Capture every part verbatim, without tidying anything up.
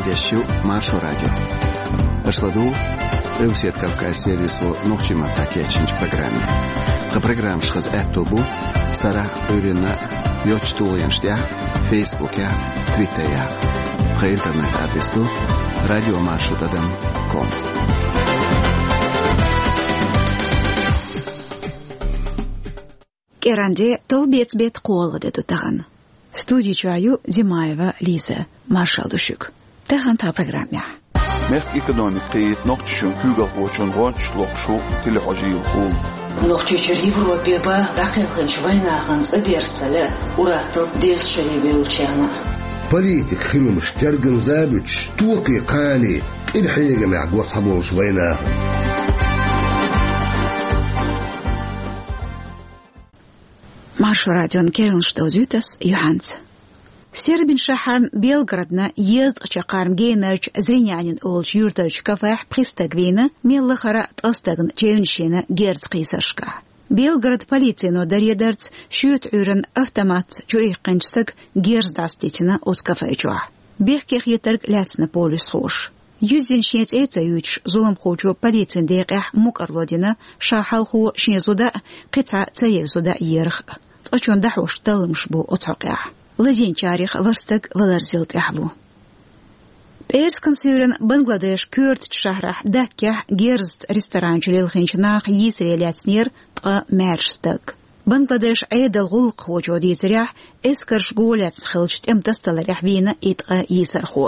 Эфирехь ю Маршо радио. Аша ладугӀу Къилбаседа Кавказан сервисо нохчийн маттахь кечйинчу программе. Тхан программаш хаза аьтто бу сарахь а, Ӏуьйранна а йоцачу тулгӀенаш тӀехь а, Фейсбукехь а, Твиттерехь а. Тхан интернет-адрес ду радиомаршо тӀадам ком. КӀиранде, товбеца беттан кхоалгӀа де ду тахана. Студи чохь ю Димаева Лиза. Маршалла ду шуьга. Тахана тхан программехь. Мехкан экономика кхиийта Нохчийчоьнан куьйгалхочун гӀончаш лохуш ву телехьожийла хьул. Нохчийчуьра Европе баха дӀакхелхинчу вайнахана цӀа берза ца лаьа, ур-атталла деза шаре бевллачарна а. Политикан хиламаш тергамза а буьтуш, токхе, кхане, къинхьегамехь го цхьаболчу вайнахана. Маршо радион керланаш довзуьйту ас юьхьанца. Сербин шахьарна Белгородна езткъа чаккхарма генарчу Зринянин олучу юьртарчу кафехь пхи стаг вийна, мел лахара а ткъа стагна чевнаш йина герз кхийсаршкахь. Белгород полицино даре дарца шоьтан Ӏуьйранна автоматца чуиккхинчу стага герз дӀасадитина оцу кафе чохь. Бехке хетарг лаьцна полисхоша. Юьззина шен цӀе а ца юьйцуш, зуламхочо полицин декъехь мукӀарло дина ша хьалхо шен зуда а, кхин цхьа цаевнаш зуда а ерах а. Цкъачунна дӀахьош талламаш бу оцу хьокъехь. Лазийначарех ворхӀ стаг валарзилла тӀехь ву. ПӀераскан суьйранна Бангладешан коьртачу шахьарахь Даккехь герзаца ресторан чу лелхинчу наха йийсаре лаьцнера ткъа маьрша стаг. Бангладешан Ӏедалан гӀуллакхочо дийцарехь, эскарш го лаьцна хиллачу тӀеман тасадаларехь вийна и ткъа йийсархо.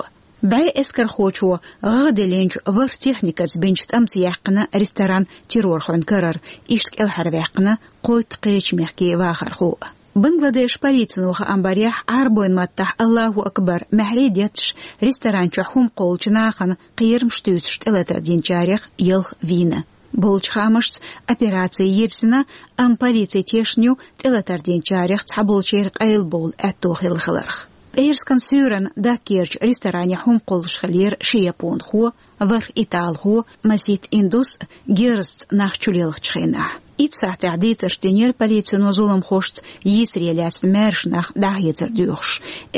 БӀе эскархочо гӀагӀ диллинчу ворхӀ техникаца бинчу тӀамца яьккхина ресторан террорхойн карара, иштта кӀелхьарваьккхина кхойтта кхечу мехкийн вахархо а. Бангладешан полицино хаам барехь, Ӏарбойн маттахь «Аллаху акбар» маьхьарий детташ, ресторан чохь хӀума кхоллучу нахана кхерамаш туьйсуш тӀелатар динчарех ялх вийна. Болчу хаамашца, операци йирзина, амма полици тешна ю тӀелатар динчарех цхьаболчеран къайлабовла аьтто хилла хиларх. ПӀераскан суьйранна Даккерчу ресторане хӀума кхоллуш хиллера ши японхо, ворхӀ италхо, Масит Индус а герзаца нах чулелхачу хенахь. Итт сахьтехь дийцарш динера полицино зуламхошца йийсаре лаьцна маьрша нах дӀахецар доьхуш.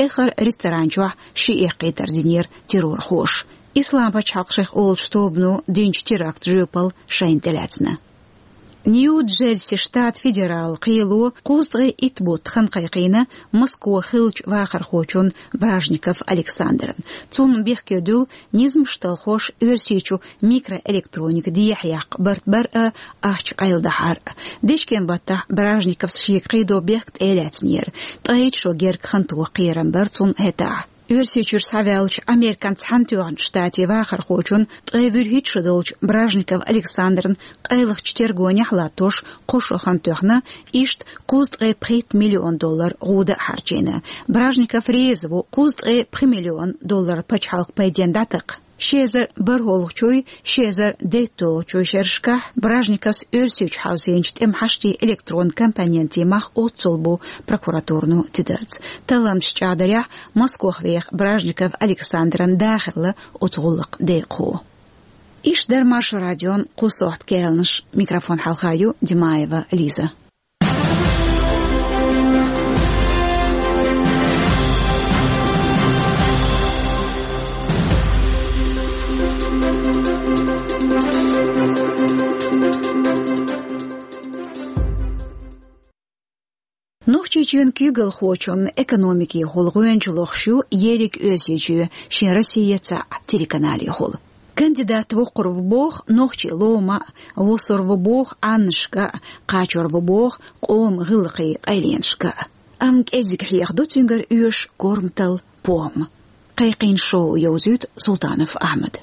Эххар ресторан чохь ши эккхийтар динера террорхоша. Ислам пачхьалкх шайх олучу тобано динчу терактан жоьпалла шайна тӀелаьцна. Нью-Джерси штат федералан кхело кхузткъе итт бутт хан кхайкхийна Москвахь хиллачу вахархочун Бражников Александран. Цунна бехке дуьллу низамаш талхош Оьрсийчу микроэлектроника дехьаяккха барт бар а, ахча къайладахьар а. Дечкен баттахь Бражниковс шега кхийдо бехк тӀе а лаьцнера. Ткъе итт шо герга хан тоха кхерам бара цунна хӀетахь. Оьрсийчуьра схьаваьллачу Американ Цхьаьнатоьхначу Штатийн вахархочун ткъе вуьрхӀитта шо долчу Бражников Александран къайлахчу тергонехь латтош кхо шо хан тоьхна, иштта кхузткъе пхийтта миллион доллар гӀуда а хьарчийна. Бражников реза ву кхузткъе пхи миллион доллар пачхьалкхан пайденна дӀатакха. Ши эзар бархӀолгӀачуй, ши эзар дейтталгӀачуй шерашкахь Бражниковс Оьрсийчу хьовсийначу тӀеман хьаштийн электронан компонентийн мах оццул бу прокуратурано тидарца. Талламчаша чӀагӀдарехь, Москвахь веха Бражников Александран да хилла оцу гӀуллакхан декъахо. Иштта дара Маршо радион кху сохьта керланаш. Микрофон хьалха ю Димаева Лиза. Нохчийчоьнан куьйгалхочун экономикехула гӀоьнча лохуш ю ерриг Оьрсийчоь шен «Россия» цхьаъ телеканалехула. Кандидат воккхур ву боху нохчийн лома а, вусур ву боху Ӏаннашка а, кхачор ву боху къоман гӀиллакхийн къайленашка а. Амма кӀеззиг хьехадо цуьнгара оьшуш корматалла, похӀма. Кхайкхийна шоу йовзуьйту Султанов Ахьмада.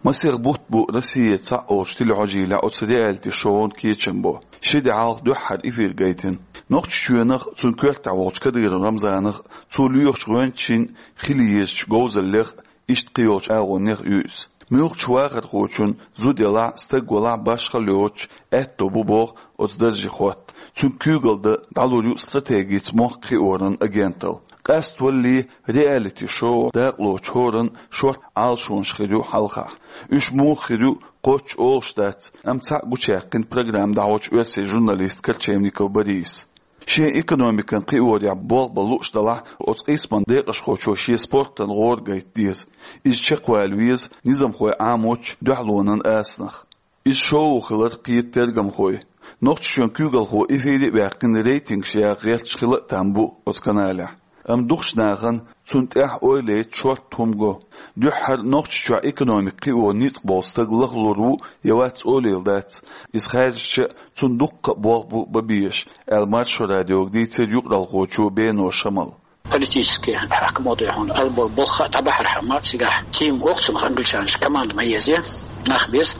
Масех бутт бу «Россия» цхьаъ олучу телехьожийлехь оцу реалити-шоун кечам бо. Ши де хьалха дуьххьара эфир гайтина. Нохчийчоьнах а, цуьнан коьртехь волчу Кадыров Рамзанах а, цо лоьхучу гӀоьнчашна а хила езачу говзаллех а, иштта кхин йолчу агӀонех а ю иза. Муьлххачу вахархочун зуда ялахь а, стаг валахь а, башхалла йоцуш, аьтто бу боху оцу дарже хотта. Цуьнга куьйгалла дан дӀалур ю стратегица мохк кхиоран агенталла. КъаьстталгӀа реалити-шоу дакъалоцуш хӀоранна шортта Ӏалашонаш хир ю хьалхахь. Уьш муха хир ю кхоччуш олуш дац, амма цхьаъ гучуяьккхина программа дӀахьочу оьрсийн журналиста Корчевников Бориса. Шен экономикан кхиорехь болх бан лууш далахь, оцу къийсаман декъашхочо шен спортан гӀора гайта деза. Иза чекхвала веза низамхой Ӏамочу дуьхьалонан асанах. Иза шоу хилар кхета тергамхой. Нохчийчоьнан куьйгалхо эфире а ваьккхина, рейтингаш яха гӀерташ хила а там бу оцу каналехь. Амма дукхачу нахана цунна тӀехь ойла яйта шортта хӀума го. Дуьххьара Нохчийчохь экономика кхио ницкъ болу стаг лахлур ву я вац олийла дац. Иза хаьржича а, цунна дуккха а болх бу бан безаш, аьлла Маршо радиога дийцира юкъаралхочо Бено Шамала. Политически хьаькамо дуй хьуна, ала болу болх а дӀабахьархьама, цигахь тим воккхачунах англичанаш команда ма еза, нах беза.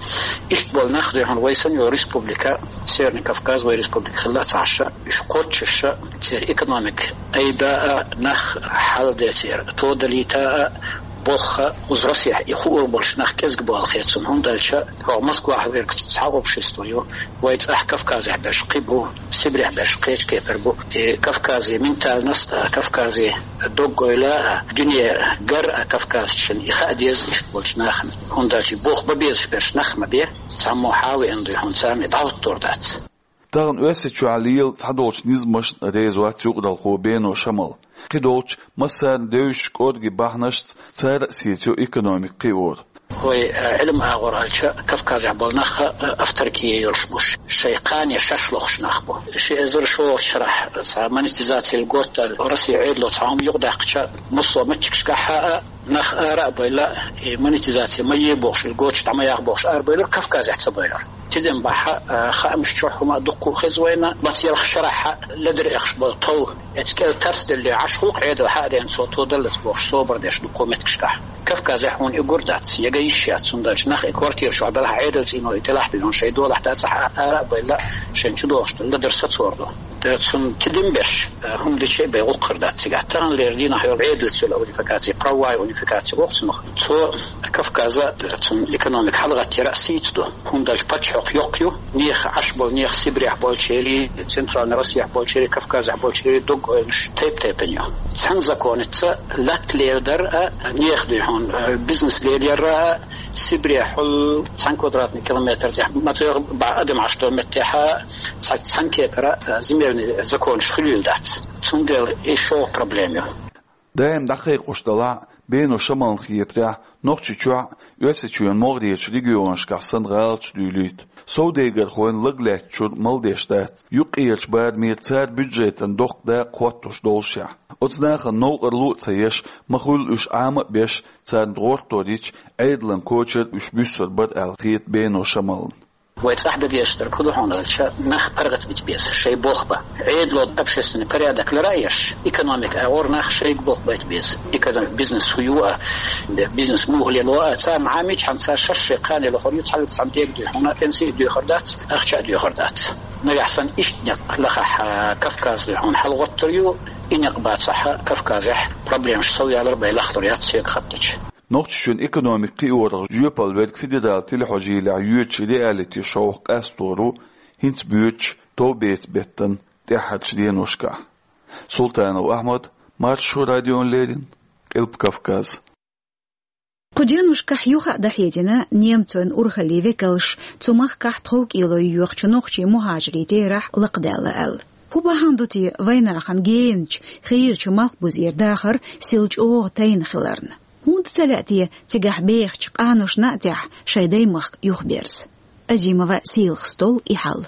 Иштта болу нах дуй хьуна вай санна йолу республика, Северный Кавказ вай республика хилла а ца Ӏаш, уьш кхоччуш, церан экономика айда а, нах хьаладе церан тодалийта а, болх а, кхуза Россехь и хуур болуш нах кӀезиг бу ала хета суна, хӀунда аьлча хӀокху Москвахь верг цхьа общество ю, вай цӀахь Кавказехь берш кхин бу, Сибрехь берш кхечу кепара бу. И Кавказе ментальность а, Кавказе дог-ойла а, дуьне гар а кавказчун и хаа деза иштта болчу нахана. ХӀунда аьлча болх бан безаш берш нах ма бе, цхьаммо хьан а веана дуй хьуна, царна и дӀахӀуттур дац. Тахана Оьрсийчохь лела цхьадолчу низамашна реза вац юкъаралхо Бено Шамал. Кхидолчу массарна девзаш кӀорге бахьанашца цара а сецайо экономика кхиор. Вай, э, Ӏилма агӀор аьлча, Кавказехь болу нах, э, автарки йолуш бу, шайн кхане шаьш лохуш нах бу. Ши эзар шолгӀачу шарахь цхьа монетизаци льгот аьлла Россин Ӏедало цхьа хӀума юкъадаьккхича, массо а меттигашкахь а нах ара а бевлла, и монетизаци ма е бохуш, льготаш дӀа ма яха бохуш, арабевллера Кавказехь ца бевллера. Тидам бахьа, а, хаамаш чохь хӀума а дуккха а хеза вайна, маца ялх шарахь а ледара эхаш болу тов, эцу кӀел тарс делле Ӏаш гӀуллакх Ӏедал хьа а деана цо тодаллац бохуш, собар деш дуккха а меттигашкахь. Кавказехь хьуна и гур дац, яга йиш яц, хӀунда аьлча нах и квартира чохь белахь, Ӏедалца ино и тӀелахь бина, шайн долахь дацахь а, ара а бевлла, шайн чу догӀуш дан ледара сацор ду. Т-, цунна тидам беш, а, хӀума дича а бен гӀуллакх хир дац цигахь. Таханлера дийнахь йолу Ӏедалца йолу унификаци, правовая унификаци боху цунах. Цо Кавказа, цунна экономика хьалагӀаттара а сийца ду. ХӀунда аьлча пачхьалкх йоккха ю, нехан Ӏаш болу, нехан Сибрехь болчерий, Центральный Россехь болчерий, Кавказехь болчерий дог-ойланаш тайп-тайпана ю. Цхьана законаца латта лела дара а, нехан дуй хьуна, а, бизнес лелаяра а, Сибрехьул цхьана квадратный километр тӀехь, ма цӀе бӀа адам Ӏаш долу меттехь а, цхьа-, цхьана кепара, а, земельный законаш хуьлийла дац. Цундела и шолгӀа проблема ю. Даим дӀакхайкхош далахь а, Бено Шамална хетарехь, Нохчийчохь а, Оьрсийчоьнан могӀарерчу регионашкахь санна гӀалаташ дуьйлуьйту. Совдегархойн лаг лаьттачуьра мала деш дац, юккъерчу барамера цара бюджетан доккха дакъа хӀоттош доллушехь. Оцу нахана новкъарло а ца еш, ма хуьллу уьш Ӏама а беш, царна гӀортор йича, Ӏедалан кочара уьш буьссур бара аьлла хета Бено Шамална. Вай цӀахь дан дезаш дерг хӀун ду хьуна аьлча, нах паргӀатбита беза, шайн болх бан. Ӏедало общественный порядок лара а еш, экономика агӀор нах шайга болх байта беза. Экономика, бизнес хӀун ю а, бизнес муха лело а, царна Ӏамийчхьана, цара шаьш шайн кхане лохур ю, цхьаьллаца цхьаьна дега дуьйхьуна, пенси а доьхур дац, ахча а доьхур дац. Нагахь санна иштта некъ лахахь, Кавказ дуьйхьуна хьалагӀоттур ю, и некъ бацахь, Кавказехь проблемаш совъялар бен лахлур яц соьга хаттача. Нохчийчоьнан экономика кхиорах жоьпалла верг федералан телехьожийлехь йоьдучу реалити-шоух къастор ву хӀинца боьдучу товбеца беттан тӀаьххьарчу деношкахь. Султанов Ахьмад, Маршо радиона леррина, Къилба Кавказ. Кху деношкахь юха а дӀахьедина немцойн урхаллин векалш цу махкахь тховкӀело йоьхучу нохчийн мухӀажирийн терахь лакхадаьлла аьлла. ХӀун бахьана ду те вайнахана генахь хийрачу малхбузера дахар сел чӀогӀа тайна хиларна? ХӀунда ца лаьа те цигахь бехачу къаношна а тӀехь шайн даймахка юхаберза? Азимова Сийлахас долу и хьал.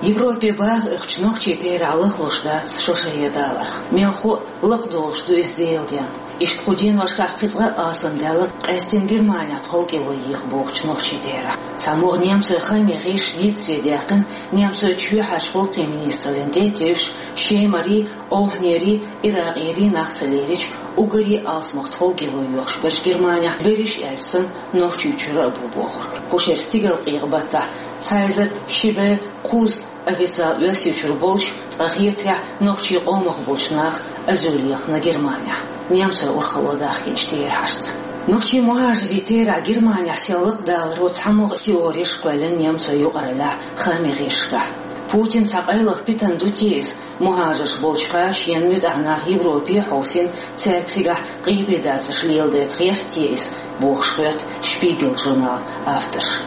Европе баха оьхучу нохчийн терахь лахлуш дац шо шайе даларх. Мелхо а лакхадолуш ду иза Делан денна. Иштта кху деношкахь кхин цкъа а алсамдаьлла, къаьстина Германехь тховкӀело еха бохучу нохчийн терахь. Цхьа могӀа немцойн хаамийн гӀирсаша дийцаре даьккхина, немцойн чоьхьарчу гӀуллакхийн министраллин тӀе а тевжаш, шемарий, охьанерий, иракъерий нах ца лерича, уггаре а алсамах тховкӀело йоьхуш берш Германехь, берриш а аьлча санна, Нохчийчуьра а бу бохург. Кху шеран стигалкъекъа баттахь цхьа эзар ши бӀе кхузткъа официалан Оьрсийчуьра болуш, ткъа хетарехь, нохчийн къомах болчу наха азуьллехь Германехь, немцойн урхалло дахкинчу терахьашца. Нохчийн мухӀажирийн терахь Германехь сел лакхадаларо цхьа могӀа теореш кхоьллина немцойн юкъараллехь хаамийн гӀирсашкахь. Путин цхьа къайлаха питана ду те иза, мухӀажарш болчухьа шена муьтӀахь нах Европе а хьовсийна, цаьрга цигахь къепедацарш леладайта гӀерта те иза, бохуш хоьтту Шпигел журналан авторша.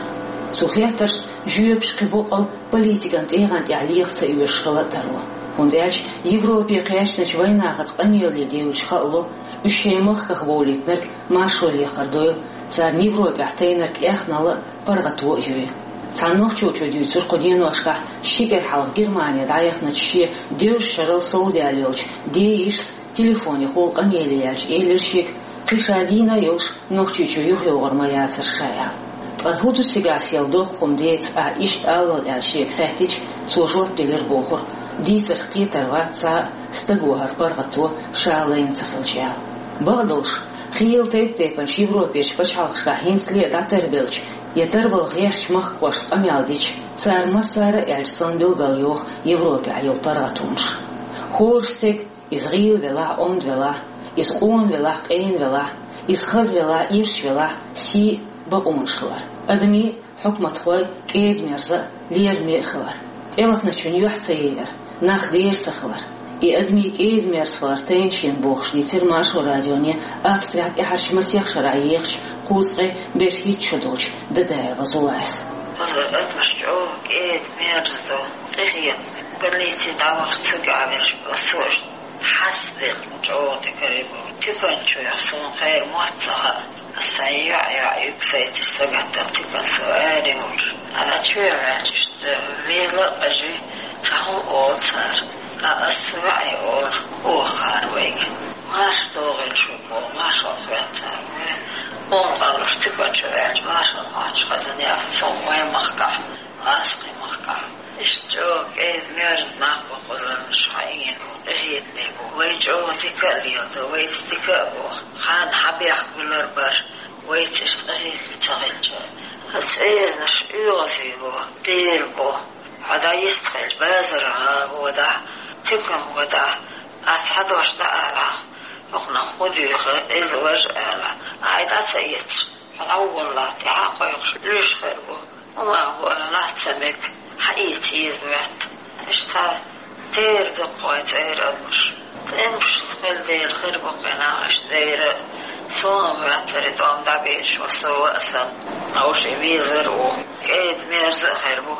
Цу хеттаршна жоьпаш кхин боккъал политикан тӀегӀан тӀехь леха ца оьшуш хила а тарло. ХӀунда аьлча Европе кхаьчначу вайнахаца къамеле девлча хаало, уьш шайн махках бовлийтинарг маршо лехар дойла, царна Европехь тайнарг эхнала а, паргӀато а ю. Цхьана нохчочо дуьйцура кху деношкахь ши кӀира хьалха Германе дӀаяхначу шен девзачу шарал совдаьлла йолчу ден йишас телефонехула къамеле яьлча элира шега, кхин ша дийна а йолуш, Нохчийчу юхайогӀур ма яцара ша аьлла. Ткъа хӀун ду цигахь сел доккха хӀума деца ахь иштта алал аьлла шега хаьттича, цо жоп делира бохура, дийцарх кхетар вац цхьа а, стага хӀара паргӀато ша лайна ца хилча аьлла. Бакъдолуш, хийла тайп-тайпанчу Европерчу пачхьалкхашкахь хӀинцале а дӀатарбелча я тарбала гӀертачу махкахошца къамел дича, цара массара а аьлча санна билгалйоху Европехь йолу паргӀатонаш. ХӀора стеган, иза гӀийла велахь а, онда велахь а, иза къона велахь а, къена велахь а, иза хаза велахь а, ирча велахь а, сий а, бакъонаш хилар. Адамийн а, хьукматхойн а кӀеда-мерза а, лераме а хилар. ТӀевахначун юьхь ца яйар, нах дера ца хилар. И адамийн кӀеда-мерза хилар тайна шена бохуш дийцира Маршо радионе Австрехь тӀаьхьарчу масех шарахь ехачу кхузткъе берхӀитта шо долчу Дадаева Зулайс. Адамаш чӀогӀа кӀеда-мерза ду, къинхетаме. Больнице дӀавахча цигахь верш, аса а хьастаделла чӀогӀа дика хир бу. Тиканчух суна кхерам моьтту ца хаьа. Сан йоӀ-йоӀ юьгсайташ сагатдала тикан со аре волуш. Ана чоь ваьлча иштта вела а къажи, цхьа хӀума олу цара. Ткъа аса ваьӀе олу, оха хаар вайга. Марша догӀийла шу боху, маршалла хьоьтту цара. Вай, хӀума къалуш тиканчу ваьлча, маршалла хьоьттуш хазан яхна, со вайн махкахь, Аскхи махкахь. Иштта чӀогӀа кӀеда-мерза нах бу кхузарнаш хьаийна, къинхетаме бу. Вай чӀогӀа дика а леладо, вайца дика а бо. Хан хьан бехк буьллар бара, вайца иштта къинхетаме ца хилча. Хан цӀеранаш оьгӀазе бо, дера бо. Хьо дӀайистхилча базархьа водахь, тикан водахь, ас хьан дош дӀа алахь, хӀокхунах хӀун дуьйху, иза важа алахь, ай дӀа ца эцаш, хьо дӀаволлахь, тӀаьхьа кхойкхуш, луьйш хир бу. ХӀума а бу, лац ца мега, хьаийца еза моьтту. Иштта цхьа дера ду кху вайн цӀера адамаш. ТӀемаш хила дела хир бу кхин нах, иштта дера. Суна моьттура и тӀом дӀабераш, ва со а сан. Хьовша везар а ву. КӀеда-мерза а хир бу.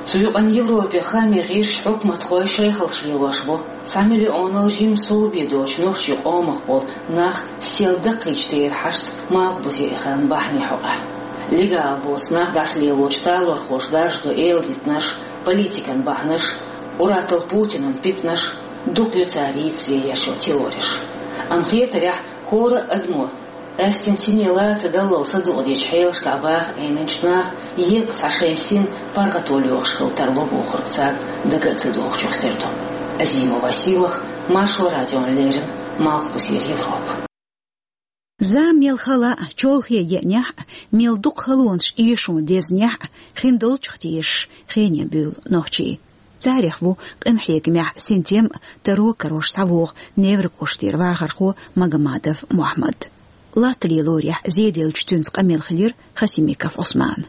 Цу юкъана Европе хаамийн гӀирсаша, хьукматхой шайхалш лелош бу цхьа миллионал жимма совбе доцучу нохчийн къомах болу нах сел даккхийчу тӀера хьаштца малхбузе эхаран бахьанийн хьокъехь. Легал боцу нах дӀасалелочу талорхоша даржадо эладитанаш, политикан бахьанаш, ур-аттал Путинан питанаш, дукха ю цара йийцаре еш йолу теореш. Амма хетарехь, хӀора а адамо къаьстина сине лаца даллал садукъадечу хьелашкахь баха Ӏеминчу наха еккъа цхьа шайн син паргӀато лоьхуш хила тарло бохург царна дага а ца дохучух тера ду. Азимова Сийлаха, Маршо радиона леррина, Малхбузера Европа. Зама мел хала а, чолхе еанехь а, мел дукха халонаш эшо дезнехь а, хин долчух тешаш хене буьйлу нохчий. Царех ву къинхьегамехь синтем а, таро карош схьавогӀу Невран кӀоштара вахархо Магомадов Мухьаммад. Латта лелорехь зеделлачу цуьнца къамел хилира Хасимиков Ӏусман.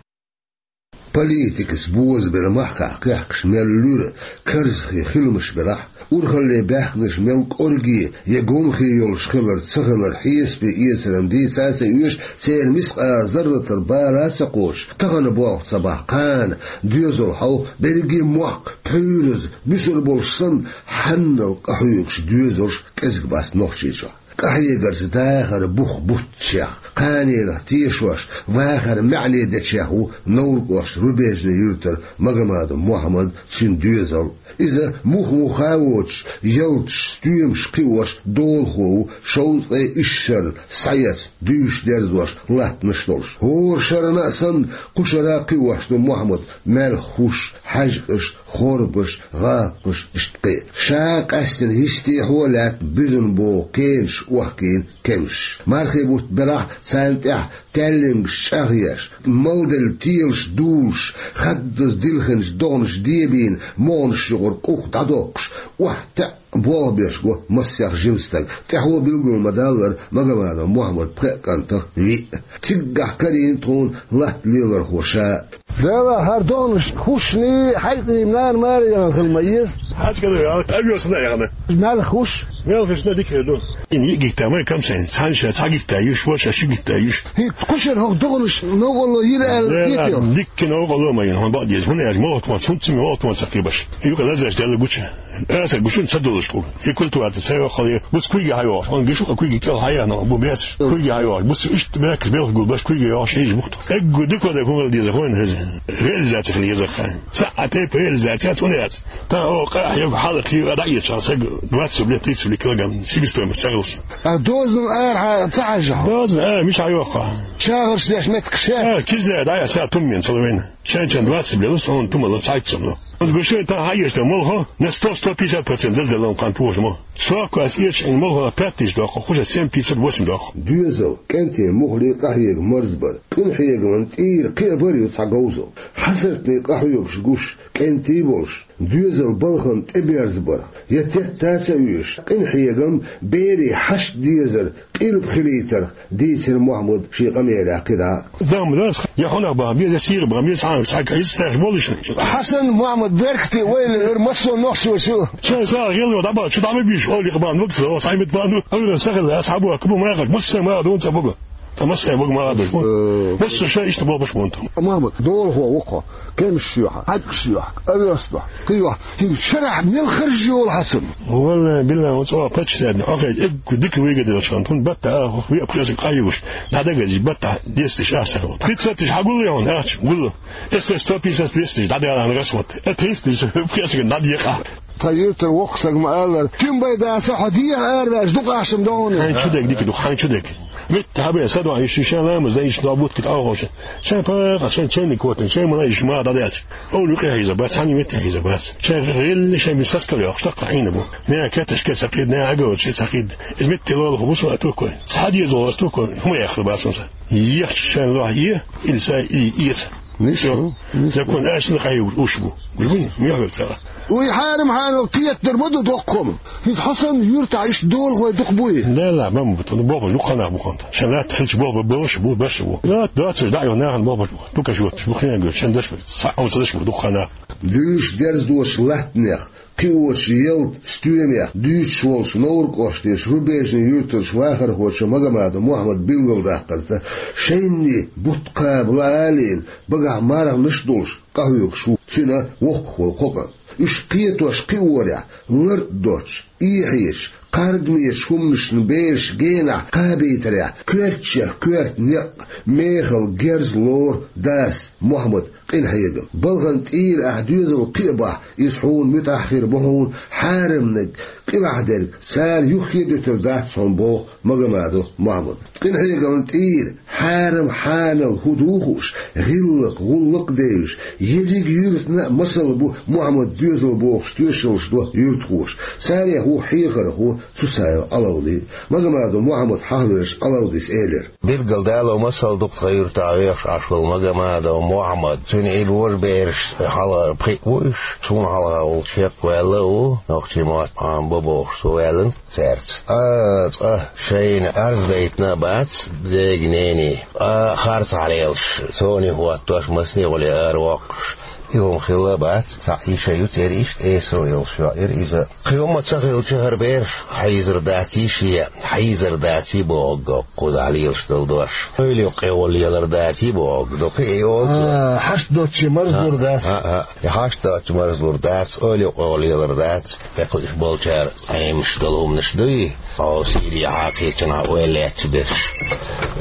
Политикаца бозабелла махкахь кхехкаш мел луьра карзахе хиламаш белахь, урхалле баьхкинарш мел кӀорге я гомхе йолуш хилар ца хилар хьесапе эцаран дийца а ца оьшу, церан мискъала зарратал бала а ца кхочуш, тахана болх ца бахь кхана, доьзал хьовха, берриге мохк, пхьуьйраза, буьсур болуш санна, хьаннал къахьоьгуш доьзалш кӀезиг бац Нохчийчохь. Къахьегарца дахар бух бутташех, кханенах тешош, вахар маьӀне дечех ву Невран кӀоштан Рубежный юьртара Магомадов Мухьаммад, цуьнан доьзал. Иза мух-муха а воцуш, ялташ, стоьмаш кхиош долахо ву, шовзткъе исс шарна схьаэцна, дуьйш дерзош латтанаш долуш. ХӀора шарна а санна, кху шара а кхиош ду Мухьаммада маьлхан хӀуш, хьаьжкӀаш, хорбаш, гӀапкхаш, иштта кхин а. Ша къаьстина йистехьо а лаьтта буьзна богӀу кенаш охкийна кемсаш. Мархи бутт белахь а, царна тӀехь таьллингаш чӀагӀъеш, малделла телаш дулуш, хаддаза дилхинчу догӀанаш дебийна, могӀанаш юкъара къух дӀадоккхуш, охьатаьӀ болх беш го массех жима стаг. ТӀаьхьо билгал ма-даллара, Магомадов Мухьаммадан пхеа кӀантах виъ. Циггахь карийна тхуна латта лелорхо ша а. Дела, хӀара догӀанаш хӀушний, хьаькъний, нана-маре яхана хила ма еза. ХьаьжкӀа а яхана, къамел санна а яхана. Маьлхан хӀуш, Мел хиш на дикер ду. Ин йиъ гикта май камсайн, цхьан ша цхьа гикта юш, ваша ши гикта юш. ХӀинца кхушара хӀокху догӀанаш новкъарло йира аьлла, дела, кхетий? Дикка новкъарло ма йина, хьуна бакъ деза. ХӀуна аьлча, молхо тхуна, цунца ма молхо тхуна ца кхебаш. Юкъа лазаш делла гуча. Аса гучун ца долуш тхуна. И культура ца йоххал, буц куьйга хьайохуш. Хьуна гуш юкъа куьйга кӀел хьаяхна, бу бецаш. Куьйга хьайохуш. Буц иштта бехкаш белха гулбаш куьйга йохуш, хьийжа бухту. Эггу дика вада хӀума деза хойна хеза. Реализация хила еза хайн. Ца а тайпа реализация цуна яц. Та о къа хьайога хьала кхийва дӀаэцаш саг двадцать рублей, тридцать рублей килограмм себестоимость ца хилса. А дозан ара хьа ца хьажа? Дозан ара миша хьайохха. Чагъарш деш меттиг ше? А, кизда дӀа а ца туммен ца ловен. Шен-шен двадцать рублей лус, он тума ло, цхьайтта сом ло. Он гушуй та хьайгаш да молхо, на сто, сто пятьдесят процент даз да лон кан пуш мо. Сокко ас ирча ин молхо пять тысяч дохо, хуша семь пятьсот, восемь дохо. Доьзал, кӀентий муххале къахьега марзбар. Къинхьегаман тӀера кхиа бар ю цхьа говзал. Хьасартний къахьоьгуш гуш, кӀентий болуш, доьзал балхан тӀеберзабарх, я тетта а ца оьшуш, къинхьегам берий хьашт дезар къилба хилийтарх дийцира Мухьаммад шен къамелехь кхидӀа. Дам дас, я хьунах бан беза, я сийгӀа бан беза, хьан схьа кайса теш болуш. Хьасан Мухьаммад беркате вайла вер массо нохчочу. Шайн сагӀа гӀело дӀабан, чу дӀама биш, олих бан, вакса, о, саймит бан, авира сахила, асхьабу, кабу махаш, мусса ма дун ца бугу. Та массай бага ма адуш бу. Э. Массо ша иштта болбаш бу онтам. Мама, долхо вокхо, кемш шоьха, хьаькъ шоьха, авёс бу, кхио, хин шарахь мел харж йолу хьацам. Валла, билла, он цӀа паччахьна, охай, эггу дика вига делчан, тун батта, ах, ви апхьесиг къаюш, дадагазиш батта, десте шахсар. Пятьсот тысяч хьагулли он, ахч, гуллу. Эссе сто пятьдесят, двести тысяч, дадагала гас вот. Э, триста тысяч, апхьесиг надъекъа. Тхан юьртара воккха саг ма аллара, куьм бай дацахь, хьо дехьа араваьлча дукха ахча ма догӀу. Хьайн чу дег дика ду, хьайн чу дег. Митта хьабе, са дуьхьа йиш йишан ламаз дан йиш нохь бутт кхин тӀе а ховша. Шайн пакъа, шайн чайник котан, шайн мала йиш ма дӀадаьлча. Олу юкъе хьийза бац, хьан метте хьийза бац. Шайн гӀелли шайн мисас кал йохуш, таккха Ӏийна бу. Нера каташ ке сакхид, нера агал чи сакхид. Иза митте лолаху бусу а туккой. Цхьа деза лола туккой, хӀума яхла бац хӀунса. Ехча шайн лохь е, или са, или эца. Нисо, нисо. Закон аьшна къайур уш бу. Гуш бу, мехвер цара. Уй хьарам хьанал кхетар ма ду доккхум. ХӀинца хьо санна юьртахь иштта долахой дукха буй? Дела, мама бу, тхуна бохуш дукха нах бу ханта. Шайн латта хилча болх бан болуш бу, баш бу. Латта доцуш дӀа а йо нахана болх баш бу. Дукха шоьташ бу, хинан гуш, шайн даш бу, цхьа а ца даш бу, дукха нах. Дуьйш дерзадош латтанех. Кхиочу ялта стоьмех дуьйцуш волчу Новр-кӀоштан Рубежный юьртарчу вахархочо Магомадов Мухьаммада билгалдаккхарта, шайнний бутт кхаба лаалийна, багахь марханаш а долуш, къахьоьгуш ву цуьнан воккхах волу кхо кӀант. Уьш кхетош кхиорехь, лар а доцуш, эхьечу, кхардамечу хӀуманашна бераш генахь кхабийтарехь, коьртачех коьрта некъ, мехала герз лору дас Мухьаммада къинхьегам. Балхана тӀера ахь доьзал кхиа бахь, иза хьуна муьтӀахь хир бу хьуна, хьарамниг къилахь дерг цара юххе а дуьтур дац хьуна боху Магомадов Мухьаммада. Къинхьегамна тӀера хьарам хьанал хӀун ду хууш, гӀиллакх, гӀуллакх а девзаш, ерриг юьртана а масал бу Мухьаммада доьзал бохуш тоьшаллаш до юьртахоша. Царех ву хьехархо Цуцаев Ӏалавди. Магомадов Мухьаммад хьахавелча Ӏалавдис элира. Билггал дало масал ду-кх тхан юьртахь вехаш Ӏаш волу Магомадов Мухьаммад. Цуьнан и божабераш хьалха пхиъ ву уьш, суна хьалха волчу хӀекхваьлла а ву, нохчийн мотт Ӏамабо бохуш цо ваьллина цаьрца. Ткъа цкъа шайна Ӏарз дайтина а бац дега-нене. Ткъа харцахь лелаш, соне хӀоттош, масне гӀоле аравоккхуш, и хӀума хилла а бац, цхьаъ йиша ю церан иштта эсала йолуш йоӀира иза. Кхин хӀумма ца хилча, хӀара бераш хьийзар дац йиши, хьийзар дац и боху кхузахь лелаш долу дош. Ойла юккъе гӀолла лелар дац и боху, дукха и олу цо. А, хьашт доцчу марзлур дац. А, а, а. И хьашт доцчу марзлур дац, ойла юккъе гӀолла лелар дац. Кху уьш болчара Ӏемаш долу хӀуманаш дуй, хьо Сири хьакхечунхьа ойла лаьтташ берш.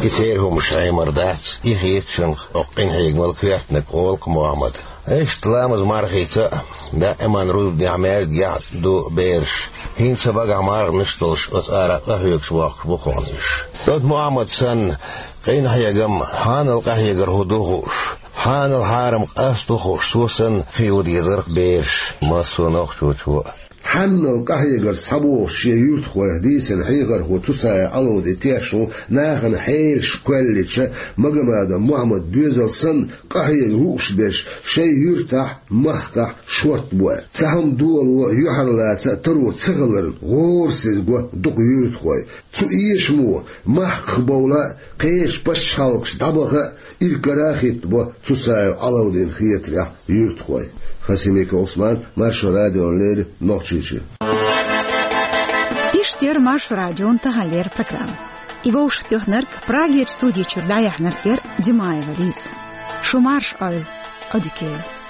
И церан хӀуманаш Ӏемар дац, и хетачунах, оцу къинхьегамал коьртаниг олу-кх Мухьаммада. Иштта ламаз мархийца а, даиман рузбанехь маьждигехь а ду бераш. ХӀинца багахь марханаш а долуш, оцу ара къахьоьгуш воккхуш бу хьуна уьш. Оцу Мухьаммад санна, къинхьегам, хьанал къахьегар хӀун ду хууш, хьанал хьарам къасто хууш, цо санна, кхио дезарх бераш, массо а нохчочо а. Хьанал къахьегарца схьабогӀуш шен юьртахойх дийцина хьехархо Цуцаев Ӏалавди тешна ву, нахана хьелаш кхоьллича, Магомадов Мухьаммада доьзал санна, къахьега лууш берш шайн юьртахь, махкахь шортта бу аьлла. Цхьа хӀума доло юьхьарлаца а таро ца хиларна, гӀорасиз го дукха юьртахой. Цу эшамо махках бовла а, кхечу пачхьалкхаш дӀабаха а, иргара а хӀиттабо Цуцаев Ӏалавдина хетарехь юьртахой. Хасимиков Ӏусман, Маршо радиона леррина, Нохчийчоь. Иштта Иштта яр Маршо радион таханлера программа. И вовшахтоьхнарг, Прагера студи чура дӀаяьхьнарг яр Димаева Лиза. Шу марша Ӏойла, Ӏодика йойла.